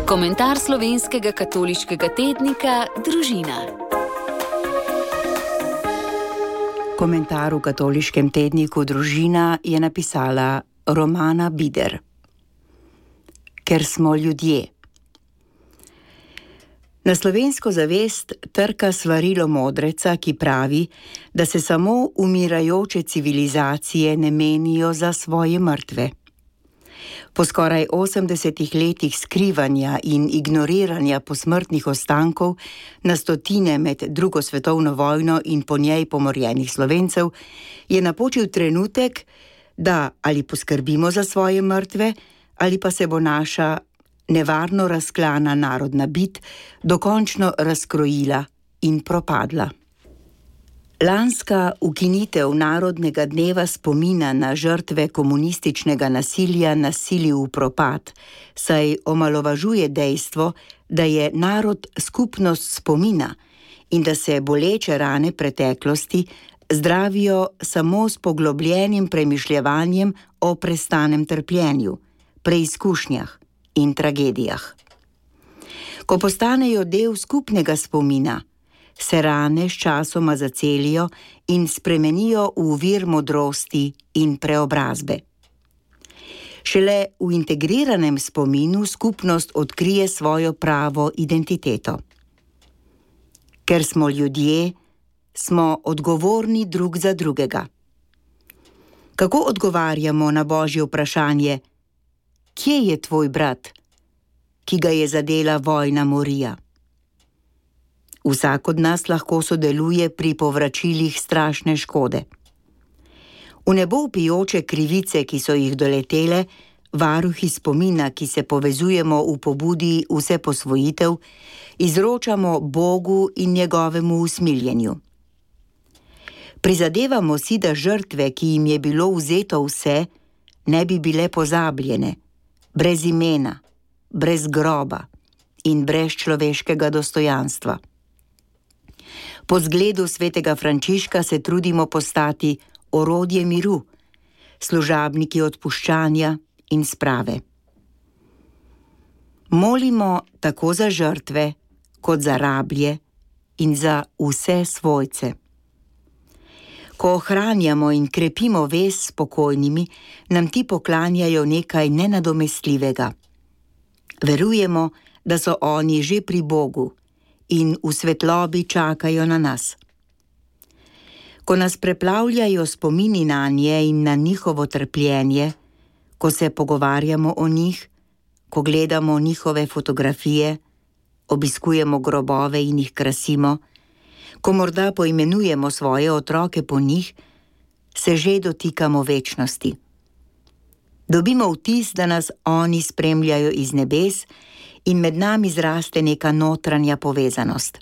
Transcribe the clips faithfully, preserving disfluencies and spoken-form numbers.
Komentar slovenskega katoliškega tednika Družina. Komentar v katoliškem tedniku Družina je napisala Romana Bider. Ker smo ljudje. Na slovensko zavest trka svarilo modreca, ki pravi, da se samo umirajoče civilizacije ne menijo za svoje mrtve. Po skoraj osemdesetih letih skrivanja in ignoriranja posmrtnih ostankov na stotine med drugo svetovno vojno in po njej pomorjenih Slovencev, je napočil trenutek, da ali poskrbimo za svoje mrtve, ali pa se bo naša nevarno razklana narodna bit dokončno razkrojila in propadla. Lanska ukinitev Narodnega dneva spomina na žrtve komunističnega nasilja nasili v propad, saj omalovažuje dejstvo, da je narod skupnost spomina in da se boleče rane preteklosti zdravijo samo s poglobljenim premišljevanjem o prestanem trpljenju, preizkušnjah in tragedijah. Ko postanejo del skupnega spomina, se rane sčasoma zacelijo in spremenijo v vir modrosti in preobrazbe. Šele v integriranem spominu skupnost odkrije svojo pravo identiteto. Ker smo ljudje, smo odgovorni drug za drugega. Kako odgovarjamo na Božje vprašanje: kje je tvoj brat, ki ga je zadela vojna morija? Vsak od nas lahko sodeluje pri povračilih strašne škode. V nebo vpijoče krivice, ki so jih doletele, varuhi spomina, ki se povezujemo v pobudi vse posvojitev, izročamo Bogu in njegovemu usmiljenju. Prizadevamo si, da žrtve, ki jim je bilo vzeto vse, ne bi bile pozabljene, brez imena, brez groba in brez človeškega dostojanstva. Po zgledu svetega Frančiška se trudimo postati orodje miru, služabniki odpuščanja in sprave. Molimo tako za žrtve, kot za rablje in za vse svojce. Ko ohranjamo in krepimo vez s pokojnimi, nam ti poklanjajo nekaj nenadomestljivega. Verujemo, da so oni že pri Bogu in v svetlobi čakajo na nas. Ko nas preplavljajo spomini nanje in na njihovo trpljenje, ko se pogovarjamo o njih, ko gledamo njihove fotografije, obiskujemo grobove in jih krasimo, ko morda poimenujemo svoje otroke po njih, se že dotikamo večnosti. Dobimo vtis, da nas oni spremljajo iz nebes in med nami zraste neka notranja povezanost.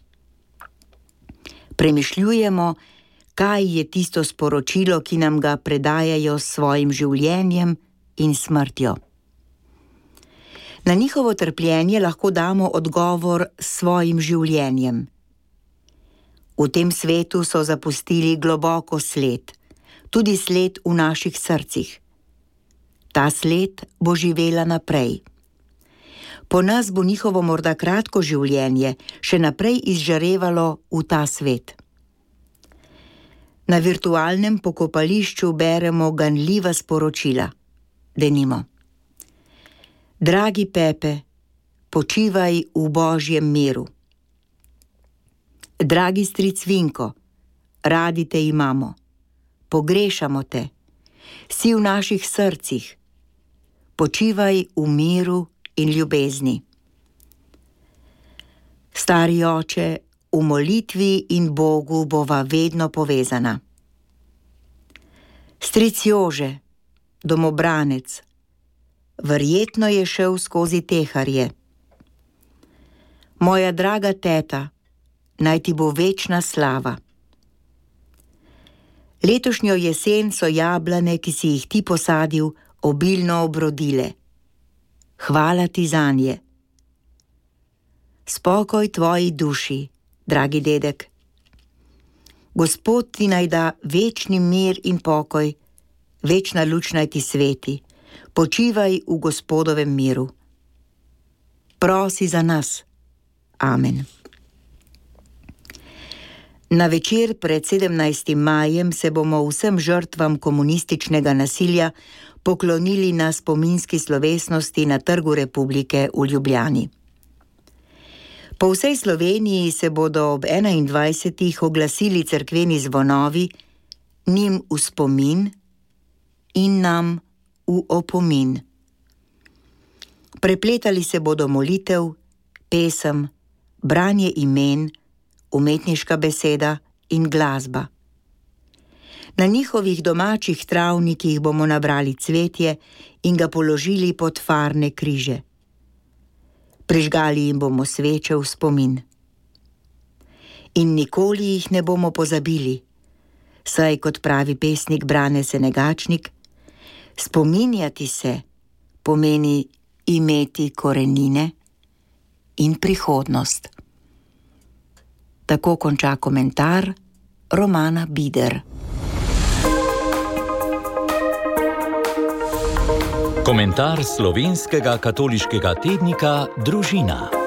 Premišljujemo, kaj je tisto sporočilo, ki nam ga predajajo s svojim življenjem in smrtjo. Na njihovo trpljenje lahko damo odgovor s svojim življenjem. V tem svetu so zapustili globoko sled, tudi sled v naših srcih. Ta sled bo živela naprej. Po nas bo njihovo morda kratko življenje še naprej izžarevalo v ta svet. Na virtualnem pokopališču beremo ganljiva sporočila. Denimo: dragi Pepe, počivaj v Božjem miru. Dragi stric Vinko, radi te imamo, pogrešamo te, si v naših srcih, počivaj v miru in ljubezni. Stari oče, v molitvi in Bogu bova vedno povezana. Stric Jože, domobranec, verjetno je šel skozi teharje. Moja draga teta, naj ti bo večna slava. Letošnjo jesen so jablane, ki si jih ti posadil, obilno obrodile. Hvala ti zanje. Spokoj tvoji duši, dragi dedek. Gospod ti naj da večni mir in pokoj, večna luč naj ti sveti, počivaj v Gospodovem miru. prosi za nas. Amen. Na večer pred sedemnajstim majem se bomo vsem žrtvam komunističnega nasilja poklonili na spominski slovesnosti na Trgu Republike v Ljubljani. Po vsej Sloveniji se bodo ob enaindvajsetih oglasili cerkveni zvonovi, njim v spomin in nam v opomin. Prepletali se bodo molitev, pesem, branje imen, umetniška beseda in glasba. Na njihovih domačih travnikih bomo nabrali cvetje in ga položili pod farne križe. Prižgali jim bomo sveče v spomin. In nikoli jih ne bomo pozabili, saj, kot pravi pesnik Brane Senegačnik, spominjati se pomeni imeti korenine in prihodnost. Tako konča komentar Romana Bider. Komentar slovenskega katoliškega tednika Družina.